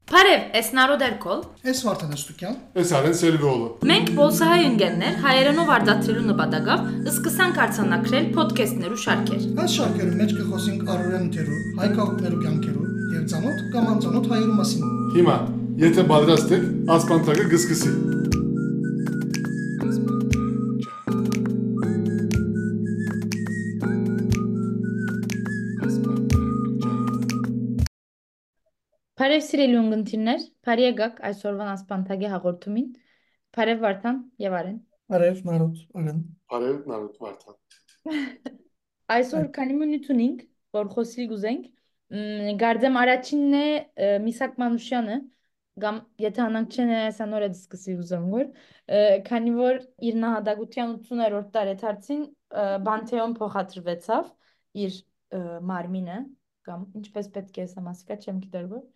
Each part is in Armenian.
Բարև, ես Նարոդ Էրկոլ։ Ես Վարդան Ստուկյան։ Ես Արեն Սելվիոլը։ Մենք բոլսահայ ընկերներ հայերենով արտադրելու նպատակով սկսանք արձանագրել ոդքասթներու շարքեր։ Այս շարքերում մեջ կխոսենք առօրյա ընթերու, հայ քաղաքներու կյանքերու եւ ծանոթ կամ անծանոթ հայերու մասին։ Հիմա, եթե պատրաստ եք, ասպանտակը գսկսի։ Բարև սիրելի ունգընտիրներ, բարի եկաք այսօրվան ասպանտագի հաղորդումին։ Բարև Վարդան եւ Արեն։ Բարև Նարոդ, Արեն։ Բարև Նարոդ Վարդան։ Այսօր քանի մինուտ ունենք, որ խոսի գուզենք, գարձեմ առաջինն է Միսակ Մանուշյանը, կամ եթե անանք չեն այսանոր է դիսկսի ուզում որ, քանի որ իր նահատակության 80-րդ տարեթարցին Բանթեոն փոխադրվեցավ իր մարմինը, կամ ինչպես պետք է ասեմ, ասիկա չեմ գիտեր որ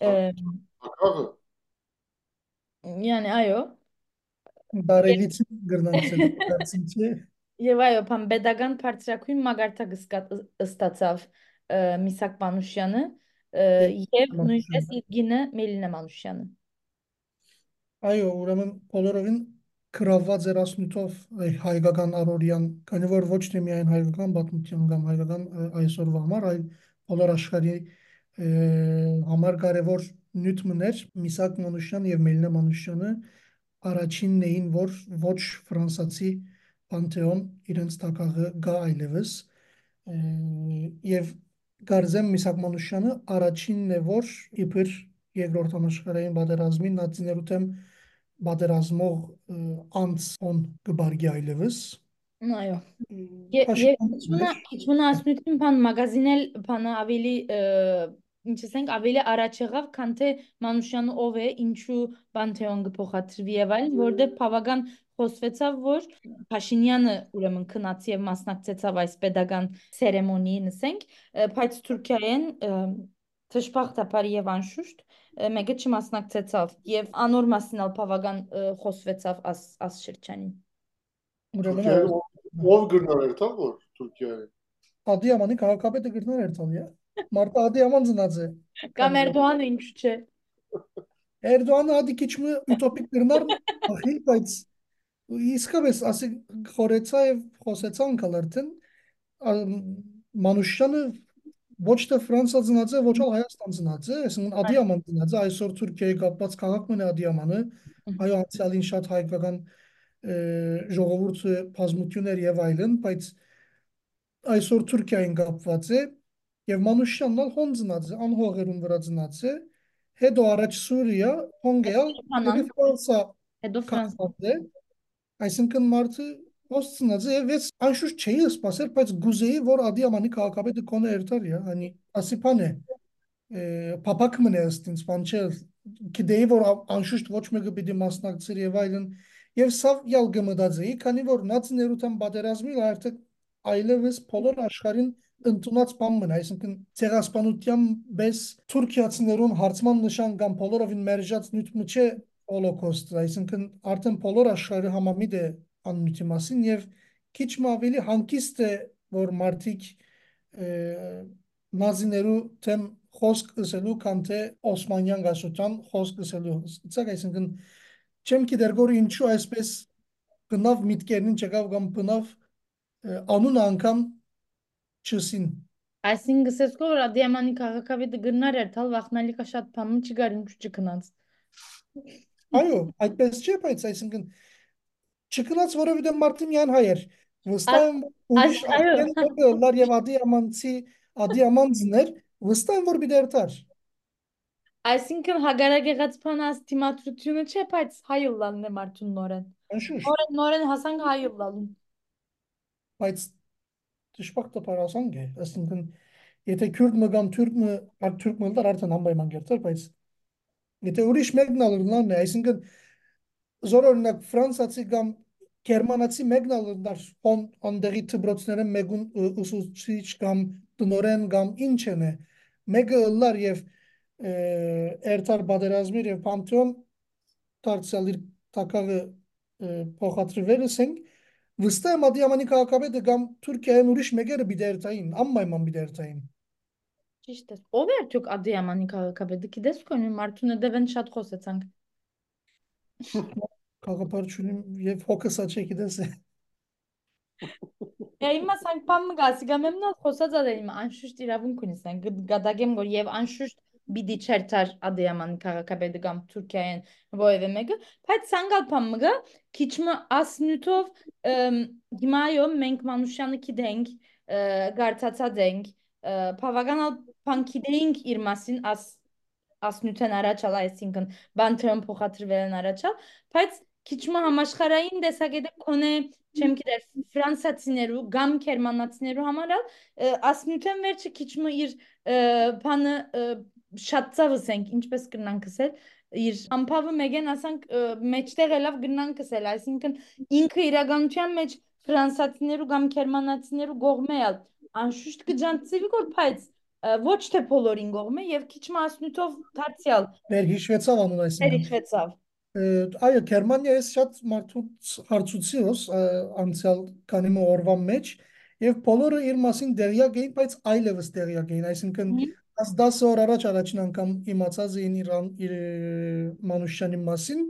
Ակավը։ Yani այո, Բարելից գրնանցել դարձինչի։ եւ այո, բան pedagogan բարձրակույն մագարտակ ստացավ Միսակ Մանուշյանը եւ նույնպես իր գինը Մելինա Մանուշյանը։ Այո, ուրեմն բոլորովին գրաված էր ասնյութով հայկական առօրյան, քանի որ ոչ թե միայն հայկական պատմություն կամ հայկական այսօրվա համար, այլ բոլոր աշխարհի համար կարևոր նյութներ Միսակ Մանուշյան եւ Մելինա Մանուշյանը առաջինն էին, որ ոչ ֆրանսացի Պանթեոն իրենց տակաղը գա այլևս եւ Գարզեմ Միսակ Մանուշյանը առաջինն է, որ իբր երկրորդ համաշխարհային պատերազմին նացիներու դեմ պատերազմող անց on գբարգի այլևս Այո։ Փաշինյան Քիչմունա ասնույթին բան մագազինել բանը ավելի ինչ ասենք ավելի առաջ եղավ, քան թե Մանուշյանը ով է, ինչու Պանթեոն կփոխադրվի եւ այլն, որտեղ բավական խոսվեցավ, որ Փաշինյանը ուրեմն քնած եւ մասնակցեցավ այս pedagogan ցերեմոնիին, ասենք, բայց Թուրքիայեն դժբախտաբար եւ անշուշտ մեկը չմասնակցեցավ եւ անոր մասնալ բավական խոսվեցավ աս շրջանին։ ուրեմն Թուրքիայում ով գրնար էր տա որ Թուրքիայում։ Ադիամանի քաղաքապետը գրներ երթալի է Մարտա Ադիաման ծնած է Կամ Էրդողանը ինչու՞ չէ։ Էրդողանը ադի քիչ մը ուտոպիկ գրնար ախի բայց իսկապես ասի խորեցա եւ խոսեցան կալերտեն Մանուշյանը ոչ թե Ֆրանսա ծնած է, ոչ էլ Հայաստան ծնած է, այսինքն Ադիաման ծնած է, այսօր Թուրքիայի կապված քաղաքն է Ադիամանը, այո անցյալին շատ հայկական ժողովուրդը բազմություններ եւ այլն, բայց այսօր Թուրքիային կապված է եւ Մանուշյանն ալ հոն ծնած է, անհողերուն վրա ծնած է, հետո առաջ Սուրիա, հոնգեալ, եւ Ֆրանսա Հետո Ֆրանսա։ կապված է, այսինքն մարդը ոստ ծնած է եւ ես անշուշտ չէի սպասել, բայց գուզեի, որ Ադիամանի քաղաքապետը կոնե երթար է, hani ասիփան է փապակ մնե ըստինց բան չէ գիտեի որ անշուշտ ոչ մեկը պիտի մասնակցեր եւ այլն եւ սավ յալ գմդածեի քանի որ նացիներութան պատերազմի արդյոք այլևս բոլոր աշխարհին ընդունած բան մնա այսինքն ցեղասպանության բես թուրքիացիներուն հարցման նշան կամ բոլորովին մերժած նյութ չէ հոլոկոստը այսինքն արդեն բոլոր աշխարհը համամիտ է աննյութի մասին եւ քիչ մ ավելի հանկիստ է որ մարդիկ նազիներու թեմ խոսք ասելու քան թե Օսմանյան գասության խոսք ասելու ցակ այսինքն չեմ գիտեր որ ինչու այսպես բնավ միտքերին չկավ կամ բնավ անուն անգամ չսին Այսինքն գսես որ Ադիամանի քաղաքավետը գրնար էր թալ վախնալիկա շատ բանում չգար ինչու չքնած։ այո այդպես չէ բայց այսինքն չքնած որովհետեւ մարդը միայն հայ էր վստահ եմ ուրիշ Այո, աղբեն լար եւ ադիամանցներ վստահ եմ որ բիդերտար այսինքն հագարագեղած բանաս դիմադրությունը չէ, բայց հայուլլանն է մարդուն նորեն։ անշուշտ Նորեն հասանք հայուլլալուն։ բայց դժբախտը parasang է այսինքն եթե քուրդ մը կամ թուրք մը դար արդեն անպայման գերտար բայց եթե ուրիշ մեկն ալնան է այսինքն զորօրինակ ֆրանսացի կամ գերմանացի մեկն ալնար ոնդերի դբրոցները մեկուն ուսուցիչ կամ տնորեն կամ ինչ են է մեկը լար եւ երթար բادرազմիր եւ Պանթեոն դարձյալ իր տակավը փոխադրվել ենք վստահ եմ Ադիամանի քաղաքապետը կամ Թուրքիայում ուրիշ մեկերը բիդերտային անպայման բիդերտային ճիշտ է։ Ով է արդյոք Ադիամանի քաղաքապետը, գիտես կոնի մարդուն դևեն շատ խոսեցանք։ Քաղաքապետությունում եւ հոգս աչքի դես է։ Հիմա սանք բան մգասի գամ եմ նա խոսած ադեմ անշուշտ իրավունք ունի սանք գադագեմ որ եւ անշուշտ բիդի չերտար Ադիամանի քաղաքապետը կամ Թուրքիայեն ովևէ մեկը բայց սանգալ բան մգա քիչմը ասնյութով հիմա այո մենք Մանուշյանը գիտենք գարտացած ենք բավականալ բան գիտենք իր մասին ասնյութեն առաջալ այսինքն բանթերն փոխադրվել են առաջալ բայց քիչմը համաշխարհային տեսակետը կոնե չեմ գիտեր ֆրանսացիներու կամ գերմանացիներու համար ասնյութեն վերջը քիչմը իր բանը շատ ծավսենք ինչպես կնանք ասել իր ամփավը մեգեն ասանք մեջտեղ elավ գնանք ասել այսինքն ինքը իրականության մեջ ֆրանսացիներու կամ գերմանացիներու կողմեալ անշուշտ կջանցվի որ բայց ոչ թե բոլորին կողմը եւ քիչ մասնույթով դարձյալ Վերհիշվեցավ անուն այսինքն։ վերիչվեցավ Այո, Գերմանիայից շատ մարդուց հարցուցիոս անցյալ քանի օրվա մեջ եւ բոլորը իր մասին դերյակ էին, բայց այլևս դերյակ էին, այսինքն 10 օր առաջ առաջին անգամ իմացած էին իր Մանուշյանի մասին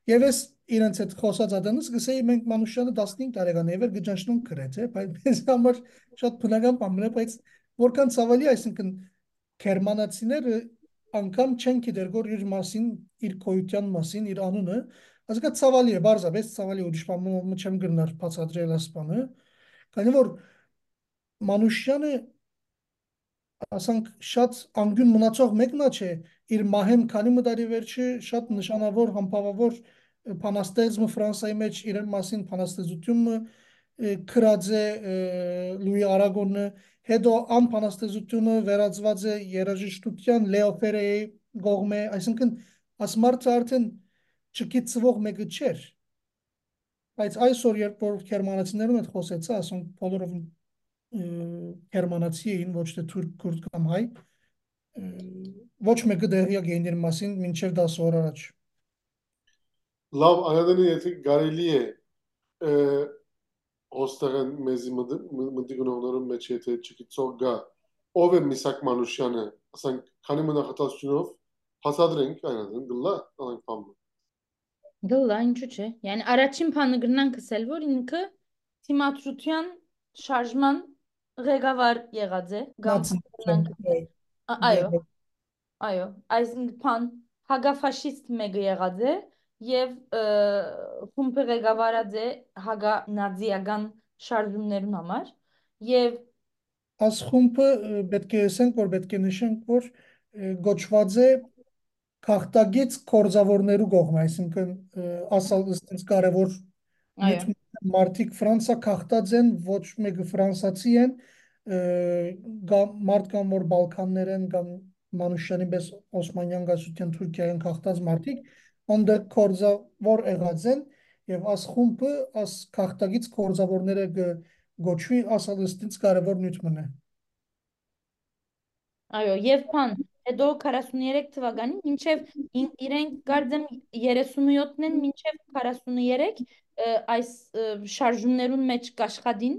եւ ես իրենց հետ խոսած ադանս գսեի մենք Մանուշյանը 15 տարեկան է, եւ գճանշնում գրեթե, բայց մեզ համար շատ բնական բան է, բայց որքան ցավալի, այսինքն գերմանացիները անգամ չեն գիտեր որ իր մասին, իր քոյության մասին, իր անունը, ասկա ցավալի է, բարձրապես ցավալի ուրիշ բան չեմ գնար բացատրել ասպանը, քանի որ Մանուշյանը ասանք շատ անգյուն մնացող մեկնա չէ, իր մահեմ քանի մտարի վերջը շատ նշանավոր համբավավոր փանաստեղծը Ֆրանսիայի մեջ իր մասին փանաստեղծությունը քրած է Լուի Արագոնը հետո ան փանաստեղծությունը վերածված է երաժշտության Լեո Ֆերեի կողմէ, այսինքն ասմարթը արդեն չգիտվող մեկը չէր, բայց այսօր երբ որ գերմանացիներուն հետ խոսեցա, ասում բոլորով գերմանացի էին, ոչ թե թուրք, քուրդ կամ հայ, ոչ մեկը դերյակ էին իր մասին մինչև 10 օր առաջ։ Լավ, այդանը եթե կարելի է ոստեղեն մեզի մտիգնողներում մեջ եթե չգիտող գա ով է Միսակ Մանուշյանը, ասենք քանի մնախատացությունով հասադրենք այնadın գլա անենք բամը։ գլա ինչու՞ չէ yani առաջին բանը գրնանք ասել որ ինքը թիմադրության շարժման ղեկավար եղած է կամ այո այո այսինքն հագաֆաշիստ մեկը եղած է եւ խումբը ղեկավարած է հագա նազիական շարժումներուն համար եւ Աս խումբը պետք է ասենք որ պետք է նշենք որ գոչված է քաղաքագից կորձավորներու կողմը, այսինքն ասալ ըստ կարևոր մարդիկ Ֆրանսա քաղաքտած են, ոչ մեկը ֆրանսացի են, մարդ կամ որ Բալկաններ են կամ Մանուշյանի պես Օսմանյան գասության Թուրքիայեն քաղաքտած մարդիկ, անդր կորձավոր եղած են եւ աս խումբը աս քաղաքտագից կորձավորները գոչվի ասալ ըստ կարևոր նյութ մնա։ Այո, եւ բան, հետո 43 թվականին մինչեւ իրենք գարձեմ 37-ն են մինչեւ 43 այս շարժումներուն մեջ կաշխադին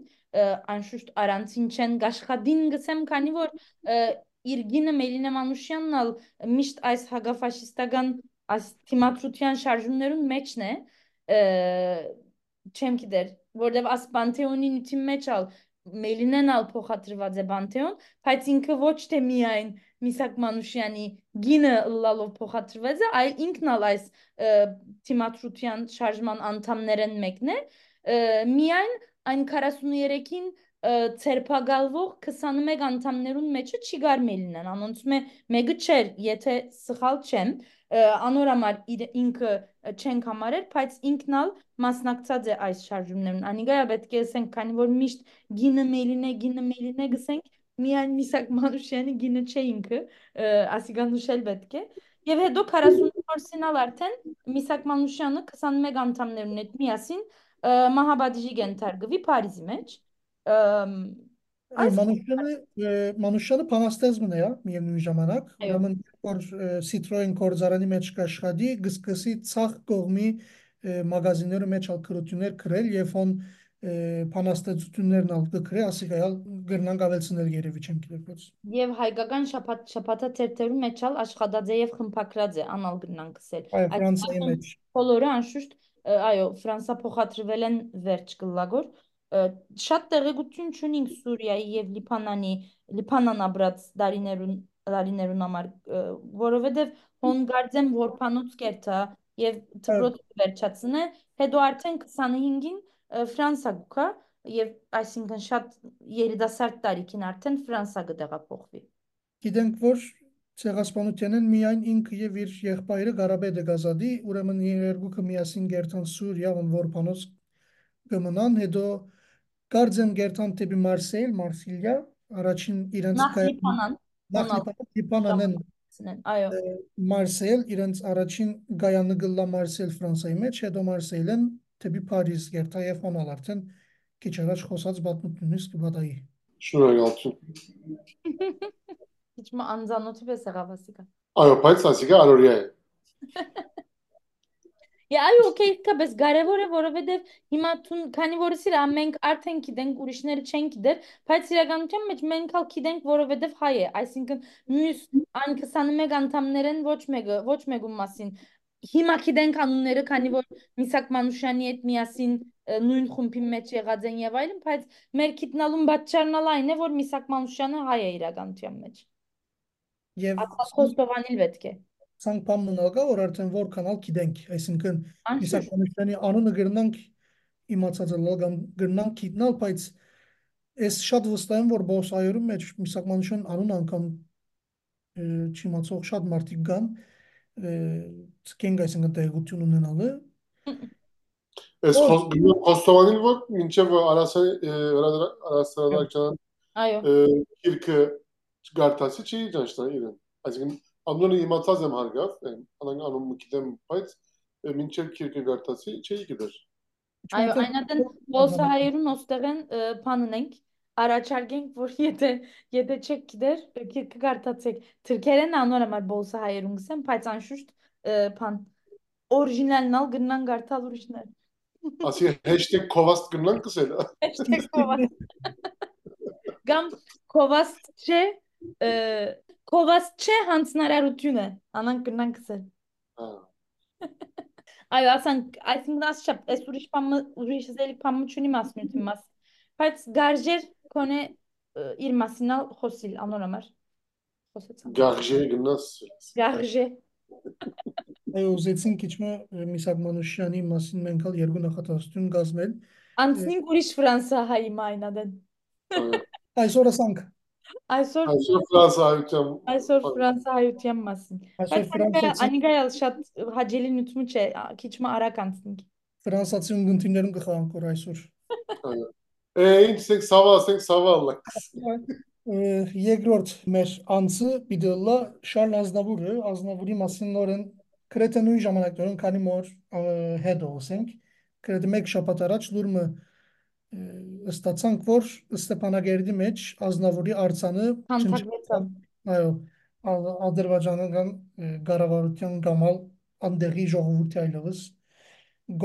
անշուշտ առանցին չեն կաշխադին գսեմ, քանի որ իր գինը Մելինե Մանուշյանն ալ միշտ այս հագաֆաշիստական այս թիմադրության շարժումներուն մեջն է չեմ գիտեր, որտեվ աս Պանթեոնի նյութի մեջ ալ Մելինեն ալ փոխադրված է Պանթեոն, բայց ինքը ոչ թե միայն Միսակ Մանուշյանի գինը լալով փոխադրված է, այլ ինքն ալ այս թիմադրության շարժման անդամներեն մեկն է, միայն այն 43-ին ցերպակալվող 21 անդամներուն մեջը չի գար Մելինեն, անոնց մեկը չէր, եթե սխալ չեմ, անորամար ինքը չենք համարել, բայց ինքն ալ մասնակցած է այս շարժումներուն։ Անիգա պետք է ասենք, քանի որ միշտ գինը Մելինե գսենք, միայն Միսակ Մանուշյանի գինը չէ ինքը, ասիգան նշել պետք է։ Եվ հետո 44-ին ալ արդեն Միսակ Մանուշյանը 21 անդամներուն հետ միասին մահաբադիժի գենթարգվի Փարիզի մեջ։ Մանուշյանը փանաստեղծն է, միևնույն ժամանակ, ուրեմն որ Citroen կորձարանի մեջ կաշխատի, գսկսի ցախ կողմի մագազինները մեջ ալկրություններ գրել եւ on փանաստեցություններն ալ կգրե, ասիկայալ գրնանք ավելցնել երևի չեմ գիտես։ Եվ հայկական շփաթա թերթերու մեջ ալ աշխատած է եւ խմբակրած է անալ գնանք ասել։ Այո, Այդ Ֆրանսիայի մարդուն մեջ։ բոլորը անշուշտ այո Ֆրանսա փոխադրվել են վերջ կլագոր շատ տեղեկություն չունենք Սուրիայի եւ Լիբանան ապրած դարիներուն համար որովհետեւ հոն գարձեմ որփանոց կերտա եւ Այո, դպրոց վերջացնե հետո արդեն 25-ին Ֆրանսա գուքա եւ այսինքն շատ երիտասարդ տարիքին արդեն Ֆրանսա կտեղափոխվի։ գիտենք, որ ցեղասպանությանեն միայն ինքը եւ իր եղբայրը Ղարաբեդը գազադի, ուրեմն երկուքը միասին գերտան Սուրիա, ուն որփանոց կմնան, հետո գարձեմ գերտան տեպի Մարսիլիա, առաջին իրենց Նախ Լիբանան, նախ հոնալ Լիբանանեն այո, Մարսել, իրենց առաջին գայանը գլլա Մարսել Ֆրանսայի մեջ, հետո Մարսելեն տեպի Փարիզ գերտա եւ հոնալ արդեն քիչ առաջ խոսած բատնությունից կբադայի։ Շնորհակալություն։ Hiç mi անձանոթի պես եղավ ասիկա։ Այո, բայց ասիկա արորիա է։ Այո, օքեյ, իսկապես կարևոր է, որովհետև հիմա քանի որ սիրա մենք արդեն գիտենք, ուրիշները չեն գիտեր, բայց իրականության մեջ մենք ալ գիտենք, որովհետև հայ է, այսինքն մյուս այն 21 անդամներեն ոչ մեկում մասին հիմա գիտենք անունները, քանի որ Միսակ Մանուշյանի հետ միասին նույն խումբի մեջ եղած են եւ այլն, բայց մեր գիտնալուն պատճառն ալ այն է, որ Միսակ Մանուշյանը հայ է իրականության մեջ։ Եվ Ասա խոստովանել պետք է։ ցանկ բան մնալգա, որ արդեն որքանալ գիտենք, այսինքն Անշուշտ։ Միսակյանների անունը գրնանք իմացած լոգան գրնանք գիտնալ, բայց ես շատ վստահ եմ, որ բոսայերում մեջ Միսակյանության անուն անգամ չիմացող շատ մարդիկ կան, ցկենք այսինքն տեղություն ունենալը։ Ես Որ խոստովանիլ որ մինչև արասարակչան Այո։ քիրքը գարտասի չի ճանչնա իրեն։ Այսինքն անունը իմացած եմ հարգավ, անունը գիտեմ, բայց մինչև քիրքը գարտասի չի գիտեր։ Այո, այնատեն բոլսահայերուն ոստեղեն բանն ենք, առաջարկենք, որ եթե չեք գիտեր, քիրքը գարտացեք։ Թրքերեն անոր համար բոլսահայերուն գսեմ, բայց անշուշտ բան օրիջինալն ալ գնան գարտալ ուրիշներ։ Ասի hashtag կովաստ գնան կսել։ Hashtag կովաստ։ Կամ կովաստ չէ հանցնարարությունը, անանք գնան գսել։ Այո, ասանք, այսինքն ասչապ, այս ուրիշ զելի պամը չունի մասնույթի մաս, բայց գարժեր կոնե իր մասինալ խոսիլ, անոր համար, խոսեցան։ Գարժե գնաս։ Գարժե։ այո, ուզեցին քիչմը Միսակ Մանուշյանի մասին մենք ալ երկու նախատեսություն գազմել։ Անցնինք ուրիշ Ֆրանսա հայի մայնադեն։ Այսօր ասանք Այսօր Ֆրանսա հայության մասին։ այսօր Բայց անիգայալ շատ հաջելի նյութում չէ, քիչմը արագ անցնինք։ ֆրանսացի ունգընտիրներում կխաղանք որ այսօր։ Ինչ սավալ։ Երկրորդ մեր անձը պիտի լա Շարլ Ազնավուրի մասին նորեն գրեթե նույն ժամանակներում, քանի որ հետո ասենք, գրեթե մեկ շաբաթ առաջ լուրը ստացանք, որ Ստեփանագերդի մեջ Ազնավուրի արձանը Հանթագվեցավ։ այո, ադրբեջանական կառավարության գամալ անդեղի ժողովրդի այլևս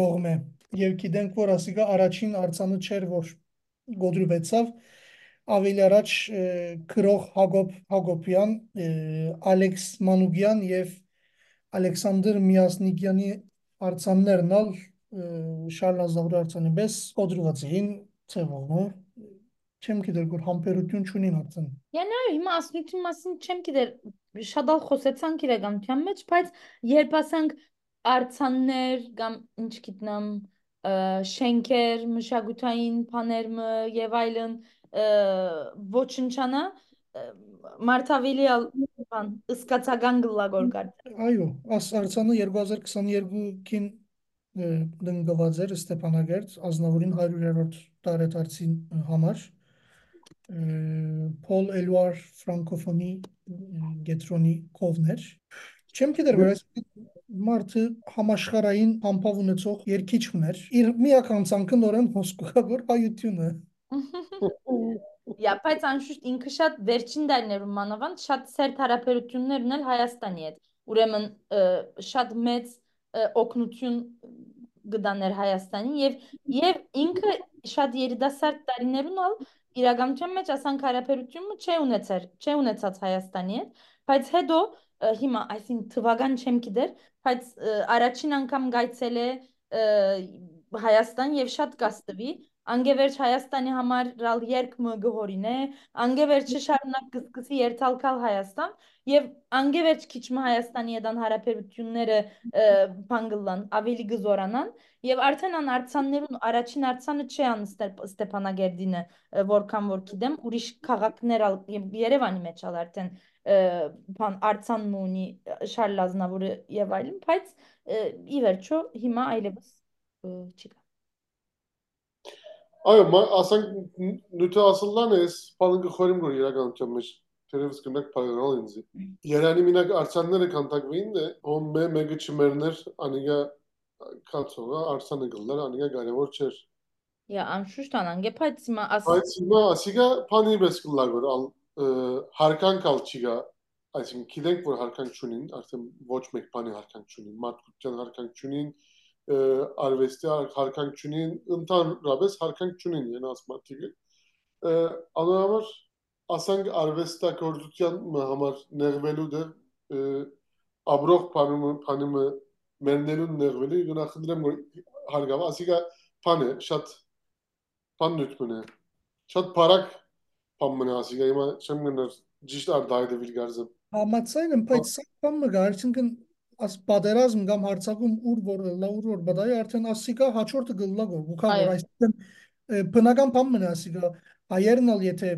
գողմե եւ գիտենք, որ ասիկա առաջին արձանը չէր, որ գոդրուվեցավ ավելի առաջ քրող Հակոբյան, Ալեքս Մանուկյան եւ Ալեքսանդր Միասնիկյանի արձաններն ալ Շարլ Ազնավուրի արձանի պես գոդրուված էին ցեվով, չեմ գիտեր որ համբերություն չունին արդեն։ Յանը հիմա ասնույթի մասին չեմ գիտեր շատ ալ խոսեցանք իրականության մեջ, բայց երբ ասանք արձաններ կամ ինչ գիտնամ շենքեր, մշակութային բաներ եւ այլն ոչնչանա մարտավելի բան ըսկացական գլագոր կար։ Այո, արձանը 2022-ին դնգված էր Ստեփանագերտ Ազնավուրին 100-րդ տարեդարձին համար Պոլ Էլուար ֆրանկոֆոնի գետրոնի կովներ չեմ գիտեր որ այս մարդը համաշխարհային համբավ ունեցող երկիչ ուներ իր միական ցանկը նորեն հոսքուղավոր հայությունը Բայց անշուշտ ինքը շատ վերջին դարներում մանավանդ շատ սերտ հարաբերություններ ունել Հայաստանի հետ ուրեմն շատ մեծ օգնություն գտաներ Հայաստանին եւ ինքը շատ երիտասարդ տարիներուն ալ իրականության մեջ ասանք հարաբերությունը չի ունեցած Հայաստանի հետ, բայց հետո հիմա այսինքն թվական չեմ գիտեր, բայց առաջին անգամ գայցել է Հայաստան եւ շատ կաստվի անգևերջ Հայաստանի համար ռալ երկմը գհորին է անգևերջը շարունակ կսկսի երթալքալ Հայաստան եւ անգևերջ քիչ մը Հայաստանի հետ հարաբերությունները բանգլան ավելի գզորանան եւ արդեն ան արցաններուն առաջին արցանը չի ան Ստեփանագերդինը որքան որ գիտեմ ուրիշ քաղաքներ եւ Երևանի մեջ ալ արդեն բան արցանն ունի Շարլ Ազնավուրը եւ այլն բայց ի վերջո հիմա այլևս չի կա Այո, ասենք նույնը ասելան էս բանը խորին գոր իրականության մեջ թերևս կնակ փայլալ ինձ։ Երանի մինակ արցանները կանտակվին է, ում մեկը չմերներ անիգա կացողա արցանը գլար անիգա կարևոր չէր։ Ja, անշուշտ անանգե, բայց հիմա Բայց հիմա ասիգա բանի պես գլար որ ալ հարկանք ալ չիգա, այսինքն գիտենք որ հարկանք չունին, արդեն ոչ մեկ բանի հարկանք չունին, մարդկության հարկանք չունին, արվեստի հարկանք չունին, ընդհանրապես հարկանք չունին ենաս մարդիկը։ Անորոշ ասենք արվեստագործության համար նեղվելու դեր աբրող բանը մերնելուն նեղվելու գնահատեմ որ հարգավ ասիգա բանը շատ բան նույնն է շատ բարակ բան մնա ասիգա հիմա չեմ գնար ճիշտ արդայդը վիլգարզը Համացայն եմ, բայց սա բան մը գա, այսինքն աս պատերազմ կամ հարձակում ուր որ բադայ արդեն ասիկա հաջորդը գլլա գոր գուքա որ այո այսինքն բնական բան մնա ասիկա հայերն ալ եթե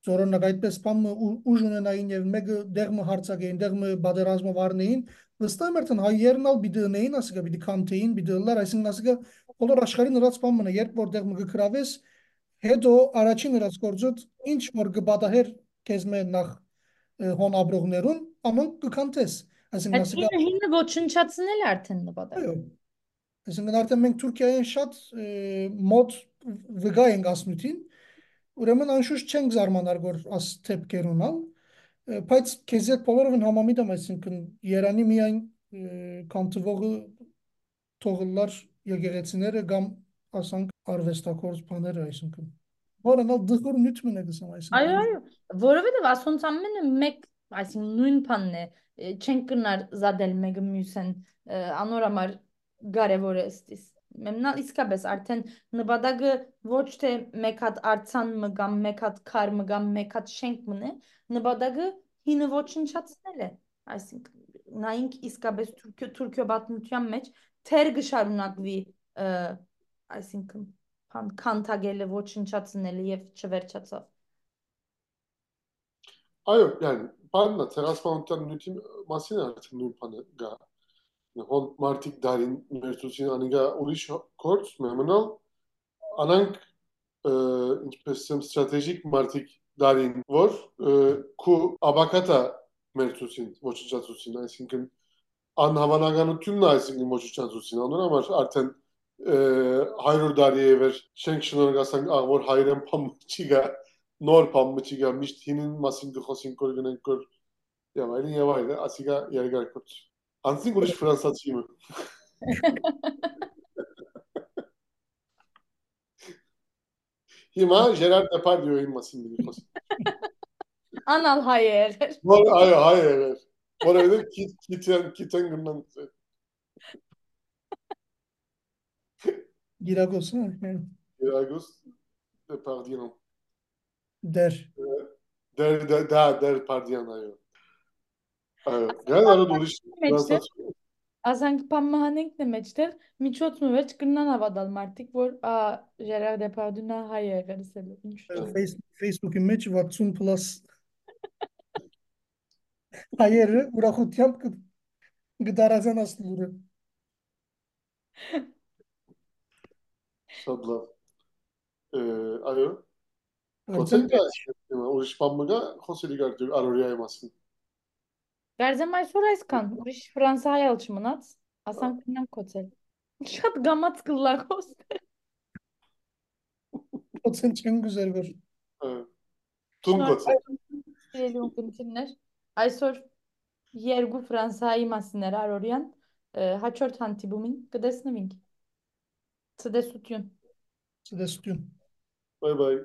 զորոնակ այդպես բան ուժ ունենային եւ մեկը դեղը հարձակեին դեղը պատերազմով առնեին վստահ եմ արդեն հայերն ալ բիդնեին ասիկա բիդի կանտեին բիդլար այսինքն ասիկա բոլոր աշխարհի նրած բան մնա երբ որ դեղը գկրավես հետո առաջին նրած գործոտ ինչ որ գբադահեր քեզ մե նախ հոն աբրողներուն ամանք կքանտես այսինքն այդ ասիկա հինը ոչնչացնել է արդեն նպատակ այո այսինքն արդեն մենք Թուրքիայեն շատ մոտ վգա ենք ասնութին ուրեմն անշուշտ չենք զարմանար որ աս թեփքերունալ բայց քեզ այդ բոլորովին համամիտ եմ այսինքն Երանի միայն կանտվողը թողլար եկեղեցիները կամ ասանք արվեստակորց բաները այսինքն որոնալ դժուր նյութ մնա գսամ այո այսինքն այո որովհետև ասոնց ամենը մեկ այսինքն նույն բանն է չենք կնար զադել մեկը մյուսեն անորամար կարևոր է ստիս մեմնալ իսկապես արդեն նպատակը ոչ թե մեկ հատ արցան մը կամ մեկ հատ քար մը կամ մեկ հատ շենք մնե նպատակը հինը ոչնչացնել է այսինքն նայինք իսկապես Թուրքիո պատմության մեջ թեր գշարունակվի այսինքն քանթագելը ոչնչացնելը եւ չվերջացավ այո yani բաննա ցեղասպանության նյութի մասին արդեն նույն բանը գա հոն մարտիկ դարին մերցուցին անիգա ուրիշ կորց մեմնալ անանք ինչպես եմ ստրատեգիկ մարտիկ դարին որ քու աբակատա մերցուցին ոչնչացուցին այսինքն անհավանականությունն է այսինքն ոչնչացուցին անոնամար արդեն 100 տարի է վեր շենք շնորհակալանք աղ որ հայրեն փամ չիգա նոր փամ չիգա միշտ հինին մասին գխոսին կոր գնենք կոր եւ այլն ասիգա երկարքոց անցին ուրիշ ֆրանսացի մը հիմա Ժերար Դեպարդյոյի մասին մի խոսք անալ հայեր որ այո հայեր որովհետեւ քիթեն գնան գիրագոս Գիրագոս Դեպարդյոն դեր դեր Պարդյան այո գալարու ուրիշ ֆրանսացի ասանք պամահանենք մեջտեղ միջոցն մեջ կնան ավադալ մարդիկ որ Ժերար Դեպարդյունը հայ է եղել ինչ Facebook-ի մեջ 60+ հայերը ուրախությամբ կդարազան ասլուրը շատ լավ այո արդեն կոցենկա ուրիշ բան մը գա խոսելի գար արորիայի մասին Գարձեմ այսօր այսքան ուրիշ ֆրանսահայ ալ չմնաց ասանք կնանք կոծել շատ գամած կլար խոսել կոցեն չեն գուզեր որ տուն կոցը Սիրելի ունկնդիրներ այսօր երկու ֆրանսահայի մասին էր արորյան հաջորդ հանդիպումին կտեսնվենք Ցտեսություն։ Ցտեսություն։ Bay bay.